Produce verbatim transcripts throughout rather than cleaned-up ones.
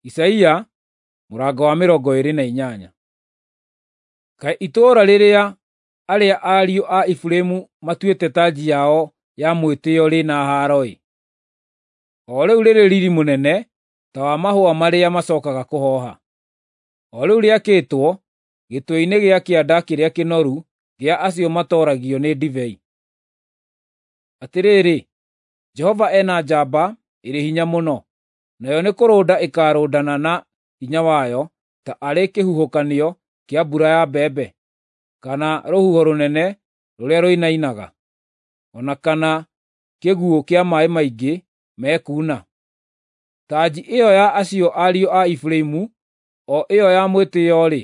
Isaia mũrango wa mĩrongo ĩĩrĩ na inyanya. Kaĩ itũũra rĩrĩa arĩa ariũ a Efiraimu matuĩte tanji yao ya mwĩtĩĩo rĩ na haaro-ĩ! O rĩu rĩrĩ riiri mũnene ta wa mahũa marĩa macookaga kũhooha, o rĩu rĩakĩtwo gĩtwe-inĩ gĩa kĩanda kĩrĩa kĩnoru gĩa acio matooragio nĩ ndibei. Atĩrĩrĩ, Jehova ena njamba ĩrĩ hinya mũno, nayo nĩkũrũnda ĩkaarũndana na hinya wayo ta arĩ kĩhuhũkanio kĩa mbura ya mbembe, kana rũhuho rũnene rũrĩa rũinainaga, o na kana kĩguũ kĩa maaĩ maingĩ mekuuna. Tanji ĩyo ya acio ariũ a Efiraimu, o ĩyo ya mwĩtĩĩo-rĩ,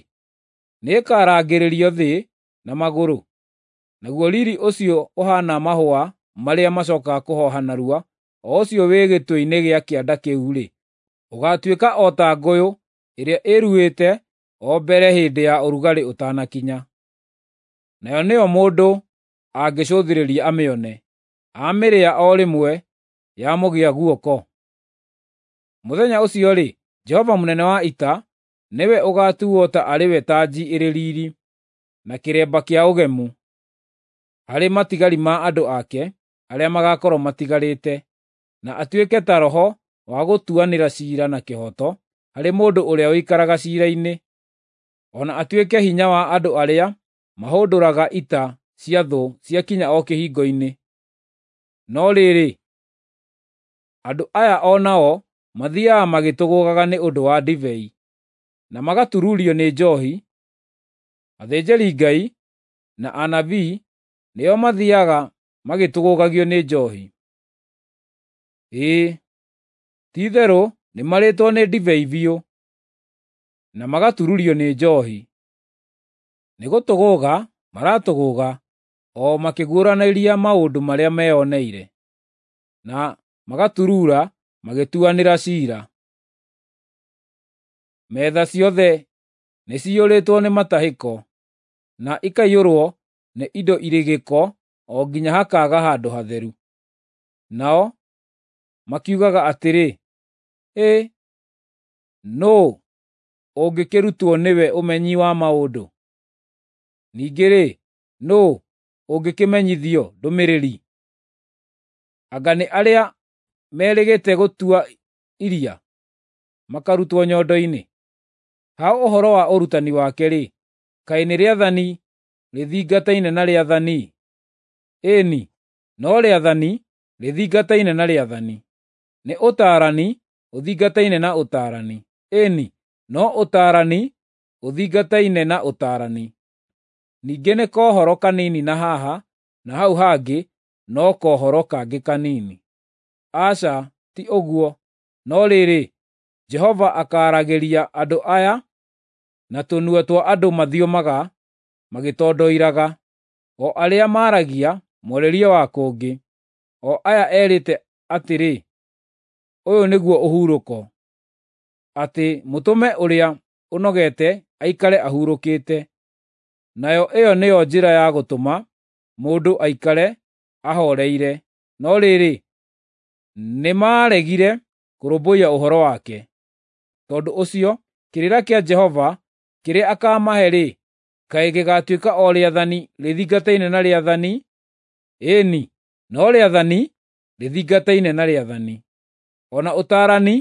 nĩĩkarangĩrĩrio thĩ na magũrũ, naguo riiri ũcio ũhaana mahũa marĩa macookaga kũhooha narua, o ũcio wĩ gĩtwe-inĩ gĩa kĩanda kĩu-rĩ, ũgaatuĩka o ta ngũyũ ĩrĩa ĩruĩte o mbere hĩndĩ ya ũrugarĩ ũtanakinya. Nayo nĩyo mũndũ angĩcũthĩrĩria amĩone, amĩrĩa o rĩmwe yamũgĩa guoko. Mũthenya ũcio-rĩ, Jehova mũnene wa ita nĩwe ũgaatuuo ta arĩ we tanji ĩrĩ riiri, na kĩremba kĩa ũgemu harĩ matigari ma andũ ake arĩa magaakorwo matigarĩte, na atuĩke ta roho wa gũtuanĩra ciira na kĩhooto harĩ mũndũ ũrĩa ũikaraga ciira-inĩ, o na atuĩke hinya wa andũ arĩa mahũndũraga ita cia thũ ciakinya o kĩhingo-inĩ. No rĩrĩ, andũ aya o nao mathiiaga magĩtũgũũgaga nĩ ũndũ wa ndibei, na magatururio nĩ njoohi. Athĩnjĩri-Ngai na anabii nĩo mathiiaga magĩtũgũũgagio nĩ njoohi. Ĩĩ, ti-itherũ nĩmarĩĩtwo nĩ ndibei biũ, na magatururio nĩ njoohi. Nĩgũtũgũũga maratũgũũga o makĩguũranĩria maũndũ marĩa meyoneire, na magaturuura magĩtuanĩra ciira. Metha ciothe nĩciyũrĩtwo nĩ matahĩko, na ikaiyũrwo nĩ indo irĩ gĩko o nginya hakaaga handũ hatheru. Nao makiugaga atĩrĩ, “Hĩ, nũũ ũngĩkĩrutwo nĩwe ũmenyi wa maũndũ? Ningĩ-rĩ, nũũ ũngĩkĩmenyithio ndũmĩrĩri? Anga nĩ arĩa merĩgĩte gũtua iria, makarutwo nyondo-inĩ? Ha ũhoro wa ũrutani wake-rĩ, kaĩ nĩ rĩathani rĩthingataine na rĩathani? Ĩĩ-ni, no rĩathani rĩthingataine na rĩathani, nĩ ũtaarani ũthingataine na ũtaarani, ĩĩ-ni, no ũtaarani ũthingataine na ũtaarani. Ningĩ nĩ kohoro kanini na haha na hau hangĩ no kohoro kangĩ kanini. Aca, ti ũguo, no rĩrĩ, Jehova akaaragĩria andũ aya na tũnua twa andũ mathiomaga magĩtondoiraga, o arĩa maaragia mwarĩrie wa kũngĩ, o aya erĩte atĩrĩ, ‘Ũyũ nĩguo ũhurũko,’ atĩ mũtũme ũrĩa ũnogete aikare ahurũkĩte. Nayo ĩyo nĩyo njĩra ya gũtũma mũndũ aikare ahooreire, no rĩrĩ, nĩmaregire kũrũmbũiya ũhoro wake. Tondũ ũcio, kĩrĩra kĩa Jehova kĩrĩa akaamahe-rĩ, kaĩ gĩgaatuĩka o rĩathani rĩthingataine na rĩathani? Ĩĩ-ni, no rĩathani rĩthingataine na rĩathani, o na ũtaarani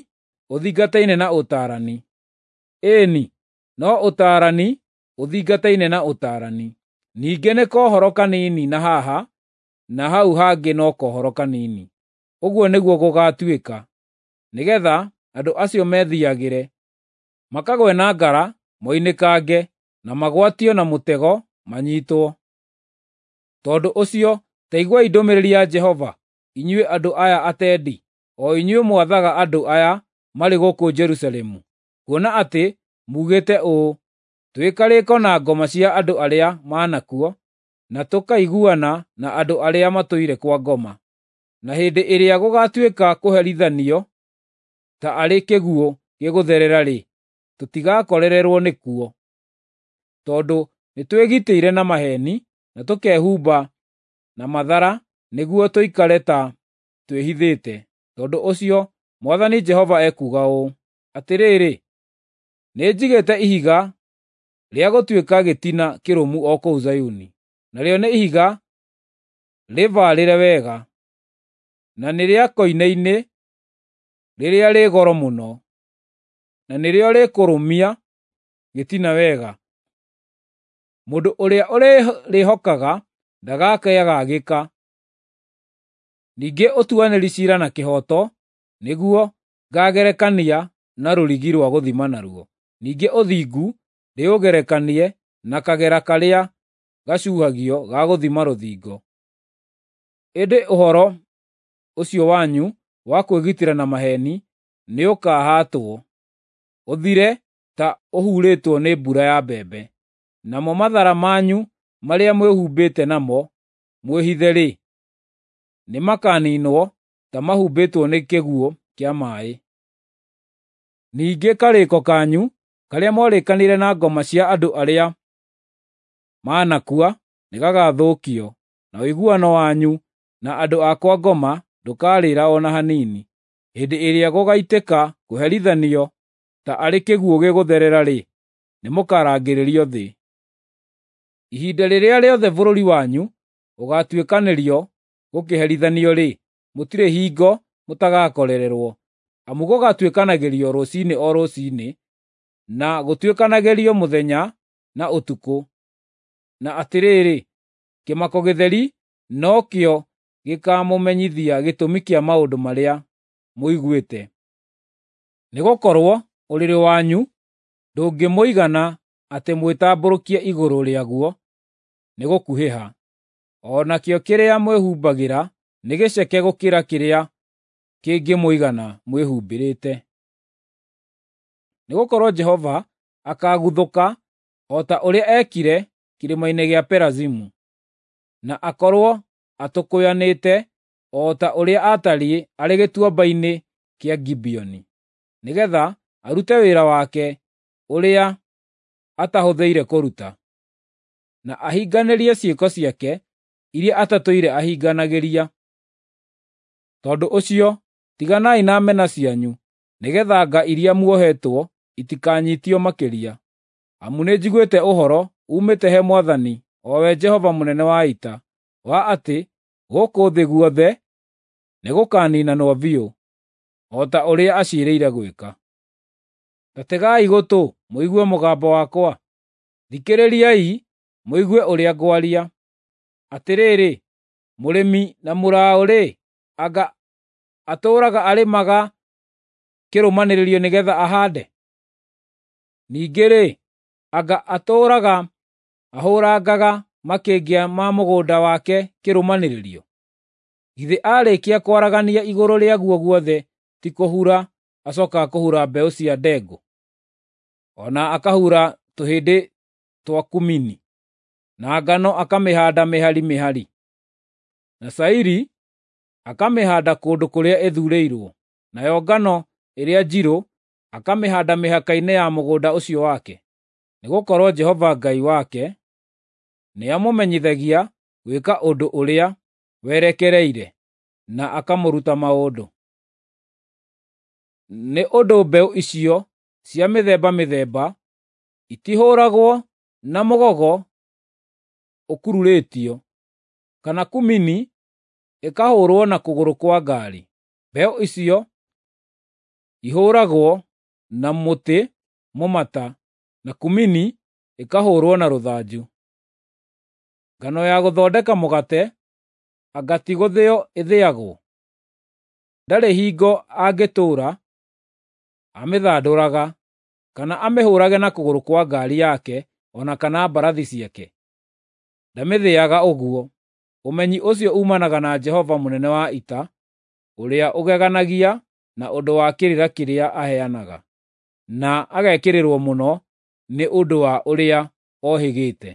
ũthingataine na ũtaarani. Ĩĩ-ni, no ũtaarani ũthingataine na ũtaarani. Ningĩ nĩ kohoro kanini na haha na hau hangĩ no kohoro kanini. Ũguo nĩguo gũgaatuĩka, nĩgeetha andũ acio methiiagĩre, makagwe na ngara moinĩkange, na magwatio na mũtego manyiitwo. Tondũ ũcio ta iguai ndũmĩrĩri ya Jehova, inyuĩ andũ aya atendi, o inyuĩ mwathaga andũ aya marĩ gũkũ Jerusalemu, kuona atĩ muugĩte ũũ, ‘Twĩ karĩĩko na ngoma cia andũ arĩa manakua, na tũkaiguana na andũ arĩa matũire kwa ngoma.’ Na hĩndĩ ĩrĩa gũgaatuĩka kũherithanio ta arĩ kĩguũ gĩgũtherera-rĩ, tũtigakorererwo nĩkuo, tondũ nĩtwĩgitĩire na maheeni na tũkehumba na mathara nĩguo tũikare ta twĩhithĩte. Tondũ ũcio Mwathani Jehova ekuuga ũũ: Atĩrĩrĩ, nĩnjigĩte ihiga rĩa gũtuĩka gĩtina kĩrũmu o kũu Zayuni, narĩo nĩ ihiga rĩbaarĩre wega, na nĩ rĩa koine-inĩ rĩrĩa rĩ goro mũno, na nĩrĩo rĩkũrũmia gĩtina wega. Mũndũ ũrĩa ũrĩrĩhokaga ndagakĩagagĩka. Ningĩ ũtuanĩri ciira na kĩhooto nĩguo ngaagerekania na rũrigi rwa gũthima naruo, ningĩ ũthingu ndĩũgerekanie na kagera karĩa gacuhagio ga gũthima rũthingo. Ĩndĩ ũhoro ũcio wanyu wa kwĩgitĩra na maheeni nĩũkahaatwo, ũthire ta ũhurĩtwo nĩ mbura ya mbembe. Namo mathara manyu marĩa mwĩhumbĩte namo mwĩhithe-rĩ, nĩmakaniinwo ta mahumbĩtwo nĩ kĩguũ kĩa maaĩ. Ningĩ karĩĩko kanyu karĩa mwarĩkanĩire na ngoma cia andũ arĩa maanakua nĩgagathũkio, na ũiguano wanyu na andũ a kwa ngoma ndũkarĩra o na hanini. Hĩndĩ ĩrĩa gũgaitĩka kũherithanio ta arĩ kĩguũ gĩgũtherera-rĩ, nĩmũkarangĩrĩrio thĩ. Ihinda rĩrĩa rĩothe bũrũri wanyu ũgaatuĩkanĩrio gũkĩherithanio-rĩ, mũtirĩ hingo mũtagakorererwo, amu gũgaatuĩkanagĩrio rũciinĩ o rũciinĩ, na gũtuĩkanagĩrio mũthenya na ũtukũ. Na atĩrĩrĩ, kĩmako gĩtheri nokĩo gĩkaamũmenyithia gĩtũmi kĩa maũndũ marĩa mũiguĩte. Nĩgũkorwo ũrĩrĩ wanyu ndũngĩmũigana atĩ mwĩtambũrũkie igũrũ rĩaguo nĩgũkuhĩha, o nakĩo kĩrĩa mwĩhumbagĩra nĩ gĩceke gũkĩra kĩrĩa kĩngĩmũigana mwĩhumbĩrĩte. Nĩgũkorwo Jehova akaaguthũka o ta ũrĩa eekire kĩrĩma-inĩ gĩa Perazimu, na akorwo atũkũyanĩte o ta ũrĩa aatariĩ arĩ gĩtuamba-inĩ kĩa Gibeoni, nĩgeetha arute wĩra wake ũrĩa atahũthĩire kũruta, na ahinganĩrie ciĩko ciake iria atatũire ahinganagĩria. Tondũ ũcio, tiganai na mena cianyu, nĩgeetha nga iria muohetwo itikanyiitio makĩria. Amu nĩnjiguĩte ũhoro uumĩte he Mwathani, o we Jehova mũnene wa ita, wa atĩ gũkũ thĩ guothe nĩgũkaniinanwo biũ, o ta ũrĩa aciirĩire gwĩka. Ta tegai gũtũ mũigue mũgambo wakwa; thikĩrĩriai mũigue ũrĩa ngwaria. Atĩrĩrĩ, mũrĩmi na mũraũ-rĩ, anga atũũraga arĩmaga kĩrũmanĩrĩrio nĩgeetha ahaande? Ningĩ-rĩ, anga atũũraga ahũrangaga makĩngĩa ma mũgũnda wake kĩrũmanĩrĩrio? Githĩ aarĩkia kwaragania igũrũ rĩaguo guothe ti kũhura acookaga kũhura mbeũ cia ndengũ, o na akahura tũhĩndĩ twa kumini, na ngano akamĩhaanda mĩhari mĩhari, na cairi akamĩhaanda kũndũ kũrĩa ĩthuurĩirwo, nayo ngano ĩrĩa njirũ akamĩhaanda mĩhaka-inĩ ya mũgũnda ũcio wake? Nĩgũkorwo Jehova Ngai wake nĩamũmenyithagia gwĩka ũndũ ũrĩa werekereire, na akamũruta maũndũ. Nĩ ũndũ mbeũ icio cia mĩthemba mĩthemba itihũragwo na mũgogo ũkururĩtio, kana kumini ĩkahũũrwo na kũgũrũ kwa ngaari. Mbeũ icio ihũũragwo na mũtĩ mũmata, na kumini ĩkahũũrwo na rũthanju. Ngano ya gũthondeka mũgate anga ti gũthĩo ĩthĩagwo? Ndarĩ hingo angĩtũũra amĩthandũraga, kana amĩhũũrage na kũgũrũ kwa ngaari yake o na kana mbarathi ciake. Ndamĩthĩaga ũguo. Ũmenyi ũcio uumanaga na Jehova mũnene wa ita, ũrĩa ũgeganagia na ũndũ wa kĩrĩra kĩrĩa aheanaga, na agekĩrĩrwo mũno nĩ ũndũ wa ũrĩa ohĩgĩte.